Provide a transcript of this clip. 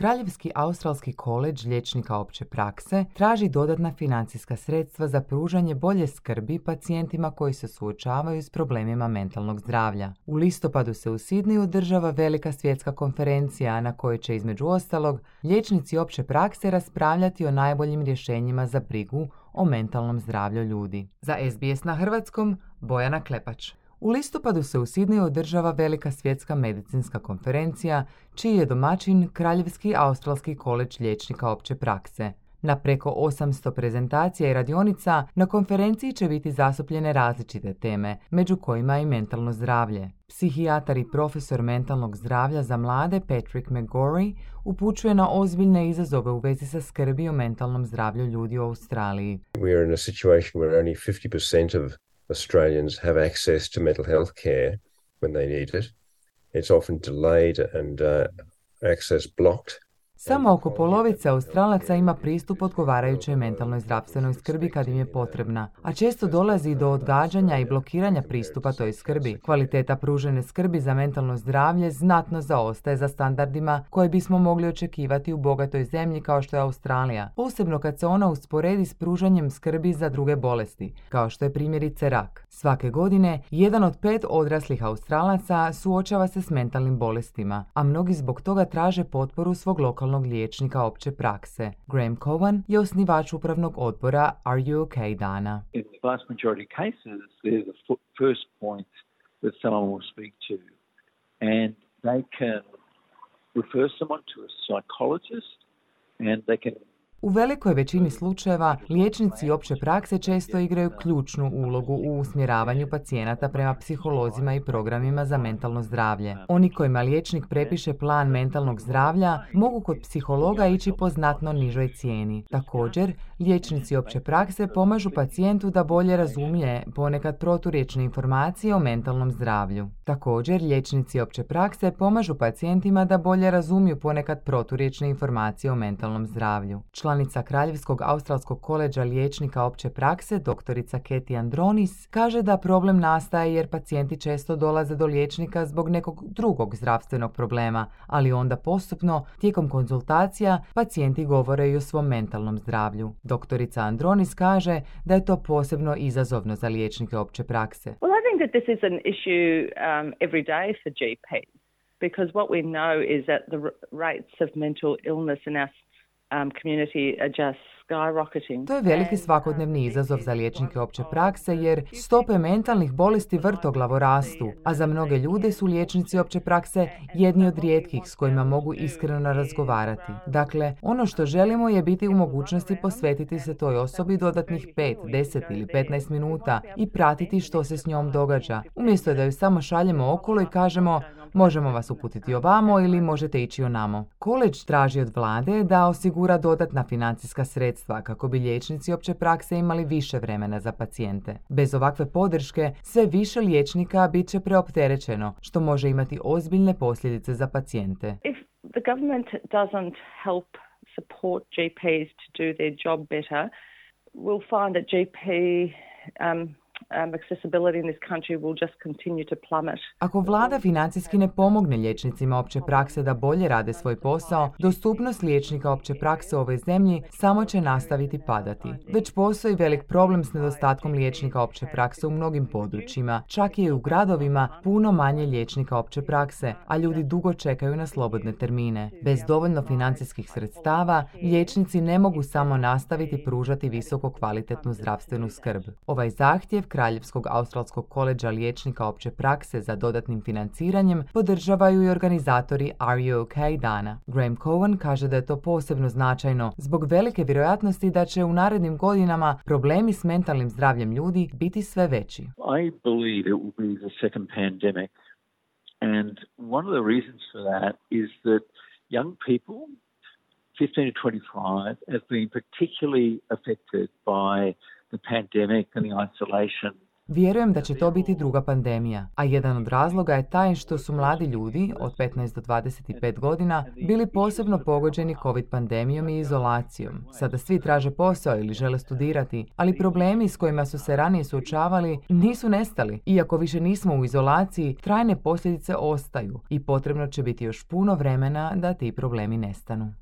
Kraljevski australski koledž liječnika opće prakse traži dodatna financijska sredstva za pružanje bolje skrbi pacijentima koji se suočavaju s problemima mentalnog zdravlja. U listopadu se u Sidneju održava velika svjetska konferencija na kojoj će između ostalog liječnici opće prakse raspravljati o najboljim rješenjima za brigu o mentalnom zdravlju ljudi. Za SBS na hrvatskom, Bojana Klepač. U listopadu se u Sidneju održava velika svjetska medicinska konferencija, čiji je domaćin Kraljevski australski koledž liječnika opće prakse. Na preko 800 prezentacija i radionica na konferenciji će biti zastupljene različite teme, među kojima i mentalno zdravlje. Psihijatar i profesor mentalnog zdravlja za mlade Patrick McGorry upućuje na ozbiljne izazove u vezi sa skrbi o mentalnom zdravlju ljudi u Australiji. We are in a situation where only 50% of Australians have access to mental health care when they need it. It's often delayed and access blocked. Samo oko polovice Australaca ima pristup odgovarajućoj mentalnoj zdravstvenoj skrbi kad im je potrebna, a često dolazi do odgađanja i blokiranja pristupa toj skrbi. Kvaliteta pružene skrbi za mentalno zdravlje znatno zaostaje za standardima koje bismo mogli očekivati u bogatoj zemlji kao što je Australija, posebno kad se ona usporedi s pružanjem skrbi za druge bolesti, kao što je primjerice rak. Svake godine, 1 od 5 odraslih Australaca suočava se s mentalnim bolestima, a mnogi zbog toga traže potporu svog lokalnog liječnika opće prakse. Graham Cowan je osnivač upravnog odbora Are You OK dana. In the vast majority of cases, they're the first point that someone will speak to, and they can refer someone to a psychologist, and they can. U velikoj većini slučajeva, liječnici opće prakse često igraju ključnu ulogu u usmjeravanju pacijenata prema psiholozima i programima za mentalno zdravlje. Oni kojima liječnik prepiše plan mentalnog zdravlja mogu kod psihologa ići po znatno nižoj cijeni. Također, liječnici opće prakse pomažu pacijentu da bolje razumije ponekad proturječne informacije o mentalnom zdravlju. Također, liječnici opće prakse pomažu pacijentima da bolje razumiju ponekad proturječne informacije o mentalnom zdravlju. Članica Kraljevskog australskog koledža liječnika opće prakse, doktorica Katie Andronis, kaže da problem nastaje jer pacijenti često dolaze do liječnika zbog nekog drugog zdravstvenog problema, ali onda postupno, tijekom konzultacija, pacijenti govore i o svom mentalnom zdravlju. Doktorica Andronis kaže da je to posebno izazovno za liječnike opće prakse. Well, I think that this is an issue every day for GPs, because what we know is that the rates of mental illness in our community are just skyrocketing. To je veliki svakodnevni izazov za liječnike opće prakse jer stope mentalnih bolesti vrtoglavo rastu, a za mnoge ljude su liječnici opće prakse jedni od rijetkih s kojima mogu iskreno razgovarati. Dakle, ono što želimo je biti u mogućnosti posvetiti se toj osobi dodatnih 5, 10 ili 15 minuta i pratiti što se s njom događa, umjesto da ju samo šaljemo okolo i kažemo možemo vas uputiti ovamo ili možete ići onamo. Koledž traži od vlade da osigura dodatna financijska sredstva kako bi liječnici opće prakse imali više vremena za pacijente. Bez ovakve podrške, sve više liječnika bit će preopterećeno, što može imati ozbiljne posljedice za pacijente. If the government doesn't help support GPs to do their job better, we'll find that GP accessibility in this country will just continue to plummet. Ako vlada financijski ne pomogne liječnicima opće prakse da bolje rade svoj posao, dostupnost liječnika opće prakse u ovoj zemlji samo će nastaviti padati. Već postoji velik problem s nedostatkom liječnika opće prakse u mnogim područjima, čak i u gradovima puno manje liječnika opće prakse, a ljudi dugo čekaju na slobodne termine. Bez dovoljno financijskih sredstava, liječnici ne mogu samo nastaviti pružati visoko kvalitetnu zdravstvenu skrb. Ovaj zahtjev Kraljevskog australskog koledža liječnika opće prakse za dodatnim financiranjem podržavaju i organizatori Are You OK dana. Graham Cowan kaže da je to posebno značajno zbog velike vjerojatnosti da će u narednim godinama problemi s mentalnim zdravljem ljudi biti sve veći. I believe it will be the second pandemic, and one of the reasons for that is that young people 15 to 25 have been particularly affected by the pandemic and the isolation Vjerujem da će to biti druga pandemija, a jedan od razloga je taj što su mladi ljudi od 15 do 25 godina bili posebno pogođeni COVID pandemijom i izolacijom. Sada svi traže posao ili žele studirati, ali problemi s kojima su se ranije suočavali nisu nestali. Iako više nismo u izolaciji, trajne posljedice ostaju i potrebno će biti još puno vremena da ti problemi nestanu.